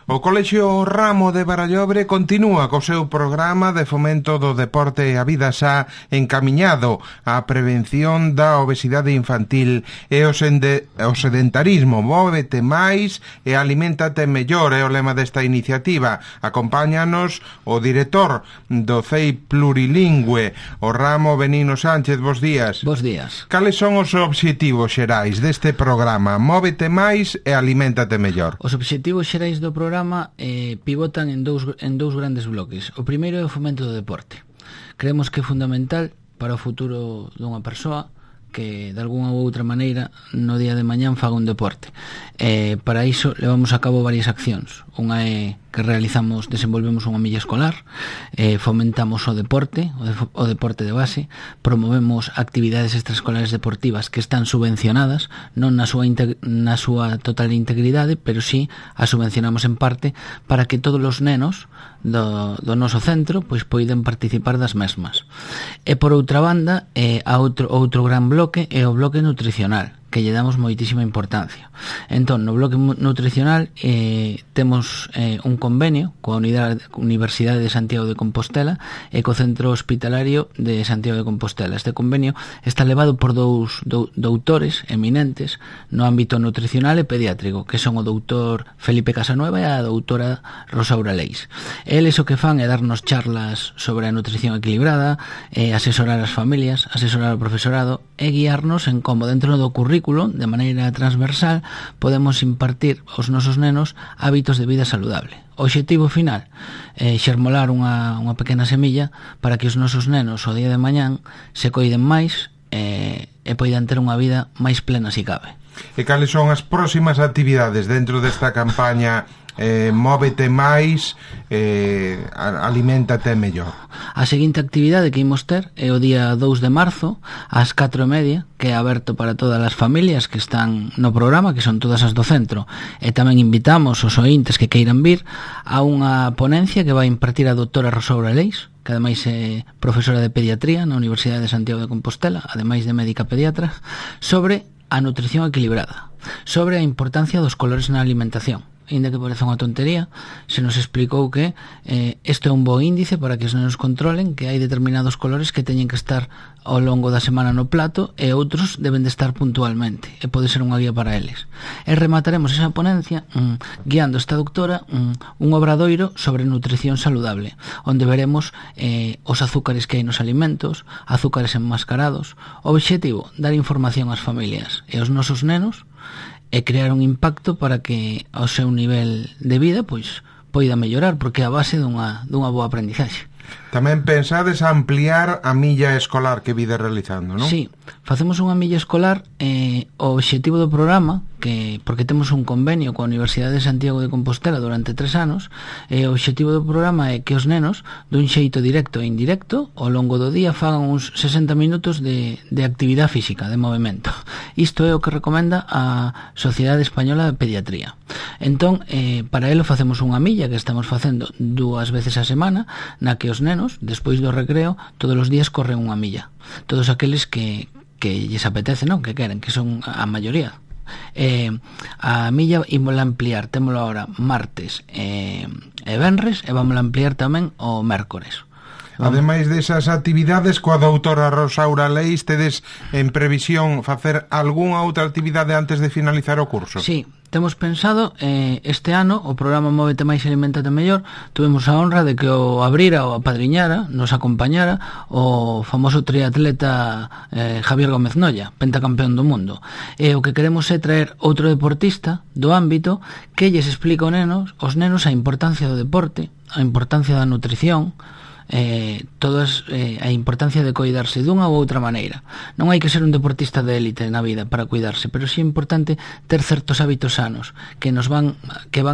O Colexio Ramo de Barallobre continúa co seu programa de fomento do deporte e a vida xa encamiñado á prevención da obesidade infantil e o sedentarismo. Móvete máis e aliméntate mellor é o lema desta iniciativa. Acompáñanos o director do CEI Plurilingüe, o Ramo Benigno Sánchez. Bos días. Bos días. Cales son os obxectivos xerais deste programa? Móvete máis e aliméntate mellor. Os obxectivos xerais do programa pivotan en dous grandes bloques. O primeiro é o fomento do deporte. Creemos que é fundamental para o futuro dunha persoa que de algunha ou outra maneira no día de mañán faga un deporte. Para iso levamos a cabo varias accións. Unha é que desenvolvemos unha milla escolar, fomentamos o deporte de base, promovemos actividades extraescolares deportivas que están subvencionadas, non na súa total integridade, pero sí as subvencionamos en parte para que todos os nenos do noso centro pois poidan participar das mesmas. E por outra banda, outro gran bloque é o bloque nutricional, que lle damos moitísima importancia. Entón, no bloque nutricional temos un convenio coa Universidade de Santiago de Compostela e co Centro Hospitalario de Santiago de Compostela. Este convenio está levado por dous doutores eminentes no ámbito nutricional e pediátrico, que son o doutor Felipe Casanueva e a doutora Rosaura Leis. Eles o que fan é darnos charlas sobre a nutrición equilibrada, asesorar as familias, asesorar o profesorado e guiarnos en como dentro do currículo, de maneira transversal, podemos impartir aos nosos nenos hábitos de vida saludable. O obxectivo final é xermolar unha pequena semilla para que os nosos nenos o día de mañán se coiden máis e poidan ter unha vida máis plena se cabe. E cales son as próximas actividades dentro desta campaña Móvete máis, aliméntate mellor? A seguinte actividade que imos ter é o día 2 de marzo ás 4:30, que é aberto para todas as familias que están no programa, que son todas as do centro, e tamén invitamos os ointes que queiran vir a unha ponencia que vai impartir a doutora Rosaura Leis, que ademais é profesora de pediatría na Universidade de Santiago de Compostela, ademais de médica pediatra, sobre a nutrición equilibrada, sobre a importancia dos colores na alimentación. Ainda que parece unha tontería, se nos explicou que isto é un bo índice para que os nenos controlen que hai determinados colores que teñen que estar ao longo da semana no plato e outros deben de estar puntualmente, e pode ser unha guía para eles. E remataremos esa ponencia guiando esta doutora un obradoiro sobre nutrición saludable, onde veremos os azúcares que hai nos alimentos, azúcares enmascarados. O obxectivo, dar información ás familias e aos nosos nenos e crear un impacto para que o seu nivel de vida pois poida mellorar, porque é a base dunha boa aprendizaxe. Tamén pensades ampliar a milla escolar que vides realizando, non? Sí, facemos unha milla escolar. O obxectivo do programa, porque temos un convenio coa Universidade de Santiago de Compostela durante 3 anos, o obxectivo do programa é que os nenos, dun xeito directo e indirecto, ao longo do día fagan uns 60 minutos de actividade física, de movimento. Isto é o que recomenda a Sociedade Española de Pediatría. Entón, para elo facemos unha milla que estamos facendo 2 veces a semana, na que os nenos, despois do recreo, todos os días corren unha milla. Todos aqueles que lles apetece, non? Que queren, que son a maioría. A milla ímola ampliar, témolo ahora martes e venres, e vamos a ampliar tamén o mércores. Ademais desas actividades, coa doutora Rosaura Leis, tedes en previsión facer algunha outra actividade antes de finalizar o curso? Sí, temos pensado este ano o programa Móvete máis e aliméntate mellor. Tuvemos a honra de que o abrira ou apadriñara, nos acompañara o famoso triatleta Javier Gómez Nolla, pentacampeón do mundo. E o que queremos é traer outro deportista do ámbito que lles explica aos nenos a importancia do deporte, a importancia da nutrición, a importancia de coidarse dunha ou outra maneira. Non hai que ser un deportista de élite na vida para cuidarse, pero sí é importante ter certos hábitos sanos que van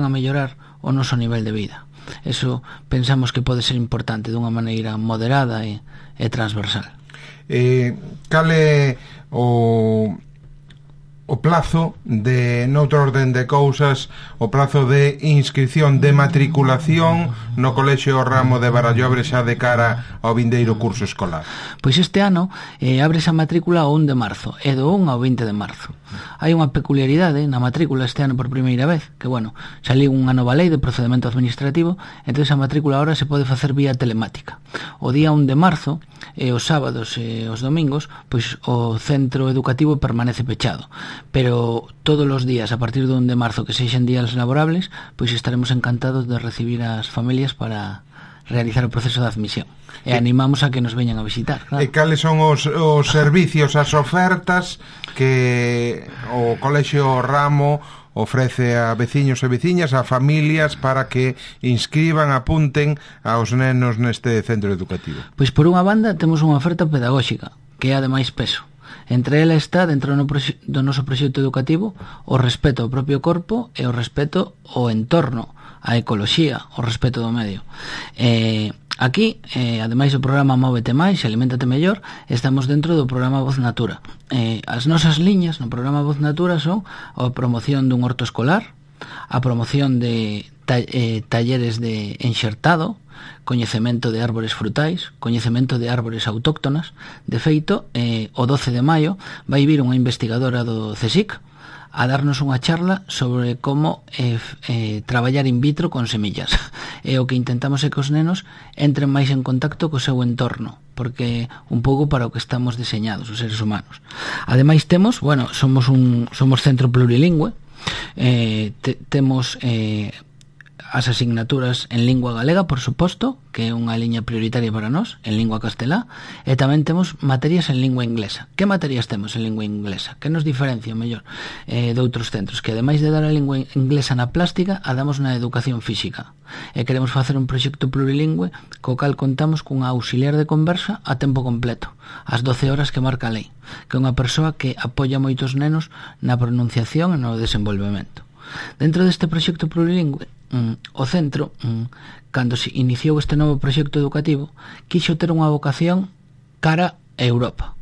a mellorar o noso nivel de vida. Eso pensamos que pode ser importante dunha maneira moderada e transversal. Cal é o plazo de, noutro orden de cousas, o plazo de inscripción de matriculación no Colexio Ramo de Barallobre xa de cara ao vindeiro curso escolar? Pois este ano abre esa matrícula o 1 de marzo e do 1 ao 20 de marzo. Hai unha peculiaridade na matrícula este ano por primeira vez, que bueno, saliu unha nova lei de procedimento administrativo, entón a matrícula ahora se pode facer vía telemática. O día 1 de marzo e os sábados e os domingos, pois o centro educativo permanece pechado, pero todos os días a partir do 1 de marzo que sexan días laborables, pois estaremos encantados de recibir as familias para realizar o proceso de admisión e animamos a que nos veñan a visitar, claro. E cales son os servicios, as ofertas que o Colexio Ramo ofrece a veciños e veciñas, a familias, para que inscriban, apunten aos nenos neste centro educativo? Pois por unha banda temos unha oferta pedagóxica que é a de máis peso. Entre ela está, dentro do noso proxecto educativo, o respeto ao propio corpo e o respeto ao entorno, a ecoloxía, o respeto do medio. Aquí, ademais do programa Móvete Máis, Aliméntate Mellor, estamos dentro do programa Voz Natura. As nosas liñas no programa Voz Natura son a promoción dun horto escolar, a promoción de talleres de enxertado, coñecemento de árbores frutais, coñecemento de árbores autóctonas. De feito, o 12 de maio vai vir unha investigadora do CSIC a darnos unha charla sobre como traballar in vitro con semillas. E o que intentamos é que os nenos entren máis en contacto co seu entorno, porque un pouco para o que estamos diseñados os seres humanos. Ademais temos, bueno, somos centro plurilingüe, temos as asignaturas en lingua galega, por suposto, que é unha liña prioritaria para nós, en lingua castelá, e tamén temos materias en lingua inglesa. Que materias temos en lingua inglesa? Que nos diferencia, mellor, de outros centros? Que ademais de dar a lingua inglesa na plástica, a damos na educación física. E queremos facer un proxecto plurilingüe co cal contamos cunha auxiliar de conversa a tempo completo, ás 12 horas que marca a lei, que é unha persoa que apoia moitos nenos na pronunciación e no desenvolvemento. Dentro deste proxecto plurilingüe, o centro, cando se iniciou este novo proxecto educativo, quixo ter unha vocación cara a Europa.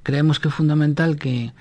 Creemos que é fundamental que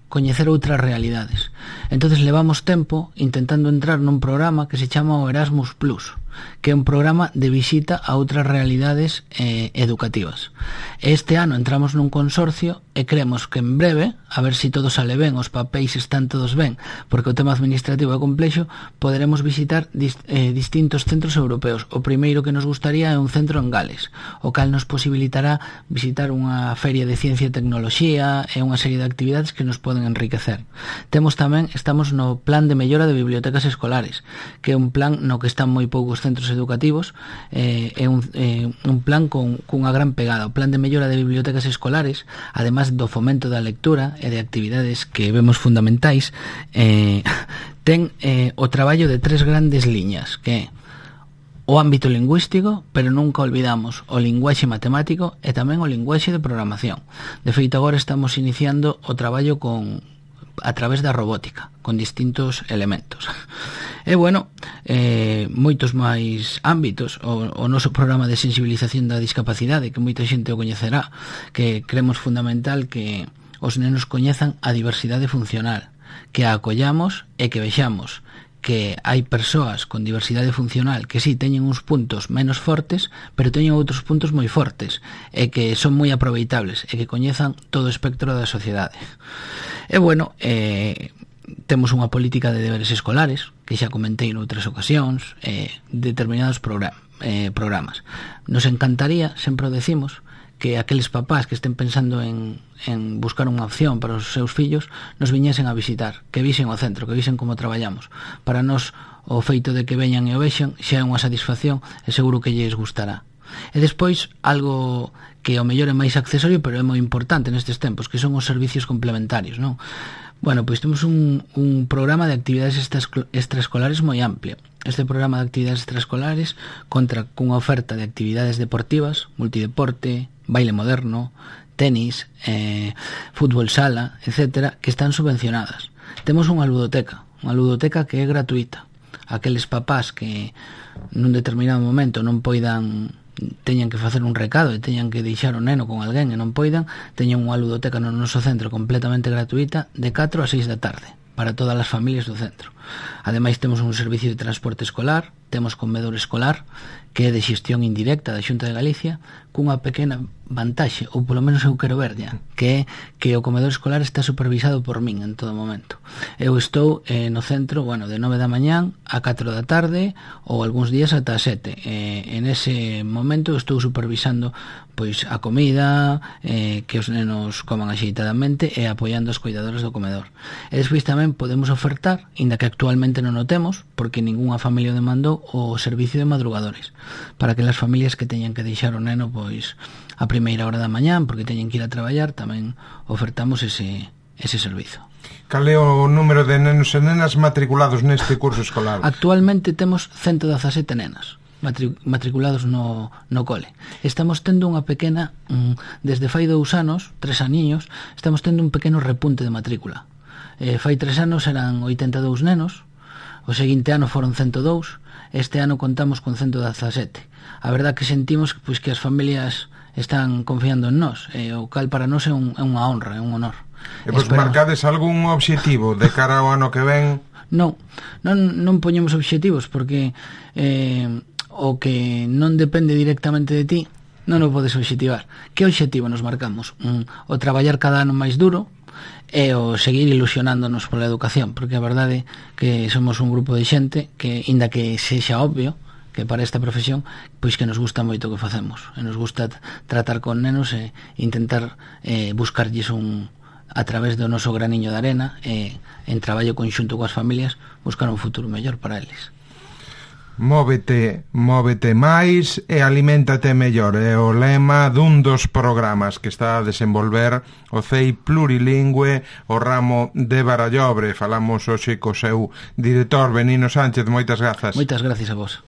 coñecer outras realidades. Entonces levamos tempo intentando entrar nun programa que se chama o Erasmus Plus, que é un programa de visita a outras realidades educativas. Este ano entramos nun consorcio e creemos que en breve, a ver se todo sale ben, os papéis están todos ben, porque o tema administrativo é complexo, poderemos visitar distintos centros europeos. O primeiro que nos gustaría é un centro en Gales, o cal nos posibilitará visitar unha feria de ciencia e tecnoloxía e unha serie de actividades que nos poden enriquecer. Estamos no plan de mellora de bibliotecas escolares, que é un plan no que están moi poucos centros educativos, é un plan cunha gran pegada. O plan de mellora de bibliotecas escolares, además do fomento da lectura e de actividades que vemos fundamentais, ten o traballo de 3 grandes liñas, que é o ámbito lingüístico, pero nunca olvidamos o linguaxe matemático e tamén o linguaxe de programación. De feito, agora estamos iniciando o traballo a través da robótica, con distintos elementos. E bueno, moitos máis ámbitos. O noso programa de sensibilización da discapacidade, que moita xente o coñecerá, que creemos fundamental que os nenos coñezan a diversidade funcional, que a acollamos e que vexamos que hai persoas con diversidade funcional que sí teñen uns puntos menos fortes, pero teñen outros puntos moi fortes e que son moi aproveitables e que coñezan todo o espectro da sociedade. E bueno, temos unha política de deberes escolares que xa comentei noutras ocasións, determinados programas. Nos encantaría, sempre o decimos, que aqueles papás que estén pensando en buscar unha opción para os seus fillos nos viñesen a visitar, que visen o centro, que visen como traballamos. Para nós, o feito de que veñan e o vexan xa é unha satisfacción e seguro que lles gustará. E despois, algo que ao mellor é máis accesorio, pero é moi importante nestes tempos, que son os servicios complementarios, non? Bueno, pois temos un programa de actividades extraescolares moi amplio. Este programa de actividades extraescolares conta cunha oferta de actividades deportivas, multideporte, baile moderno, tenis, fútbol sala, etcétera, que están subvencionadas. Temos unha ludoteca que é gratuita. Aqueles papás que nun determinado momento non poidan teñan que facer un recado e teñan que deixar o neno con alguén e non poidan, teñan unha ludoteca no noso centro completamente gratuita de 4 a 6 da tarde para todas as familias do centro. Ademais, temos un servicio de transporte escolar, temos comedor escolar, que é de xestión indirecta da Xunta de Galicia, cunha pequena vantaxe, ou polo menos eu quero verlla, que é que o comedor escolar está supervisado por min en todo momento. Eu estou no centro, de 9 da mañán a 4 da tarde, ou algúns días ata as 7. En ese momento estou supervisando pois a comida, que os nenos coman axeitadamente e apoiando as cuidadoras do comedor. E despois tamén podemos ofertar, inda que actualmente non o temos, porque ningunha familia o demandou, o servicio de madrugadores, para que as familias que teñan que deixar o neno pois a primeira hora da mañán, porque teñen que ir a traballar, tamén ofertamos ese servizo. Cal é o número de nenos e nenas matriculados neste curso escolar? Actualmente temos 117 nenas matriculados no cole. Estamos tendo unha pequena, desde fai 2 anos, 3 aniños, estamos tendo un pequeno repunte de matrícula. Fai 3 anos eran 82 nenos, o seguinte ano foron 102, este ano contamos con 117. A verdad que sentimos pois, que as familias están confiando en nós, o cal para nós é unha honra, é un honor. E vos marcades algún obxectivo de cara ao ano que ven? Non poñemos obxectivos, porque o que non depende directamente de ti non o podes obxectivar. Que obxectivo nos marcamos? O traballar cada ano máis duro e o seguir ilusionándonos pola educación, porque a verdade é que somos un grupo de xente que, inda que sexa obvio que para esta profesión, pois que nos gusta moito o que facemos, e nos gusta tratar con nenos e intentar buscarlles a través do noso graniño de arena e en traballo conxunto coas familias buscar un futuro mellor para eles. Móvete máis e aliméntate mellor é o lema dun dos programas que está a desenvolver o CEI Plurilingüe, o ramo de Barallobre. Falamos hoxe co seu director, Benino Sánchez. Moitas grazas. Moitas gracias a vos.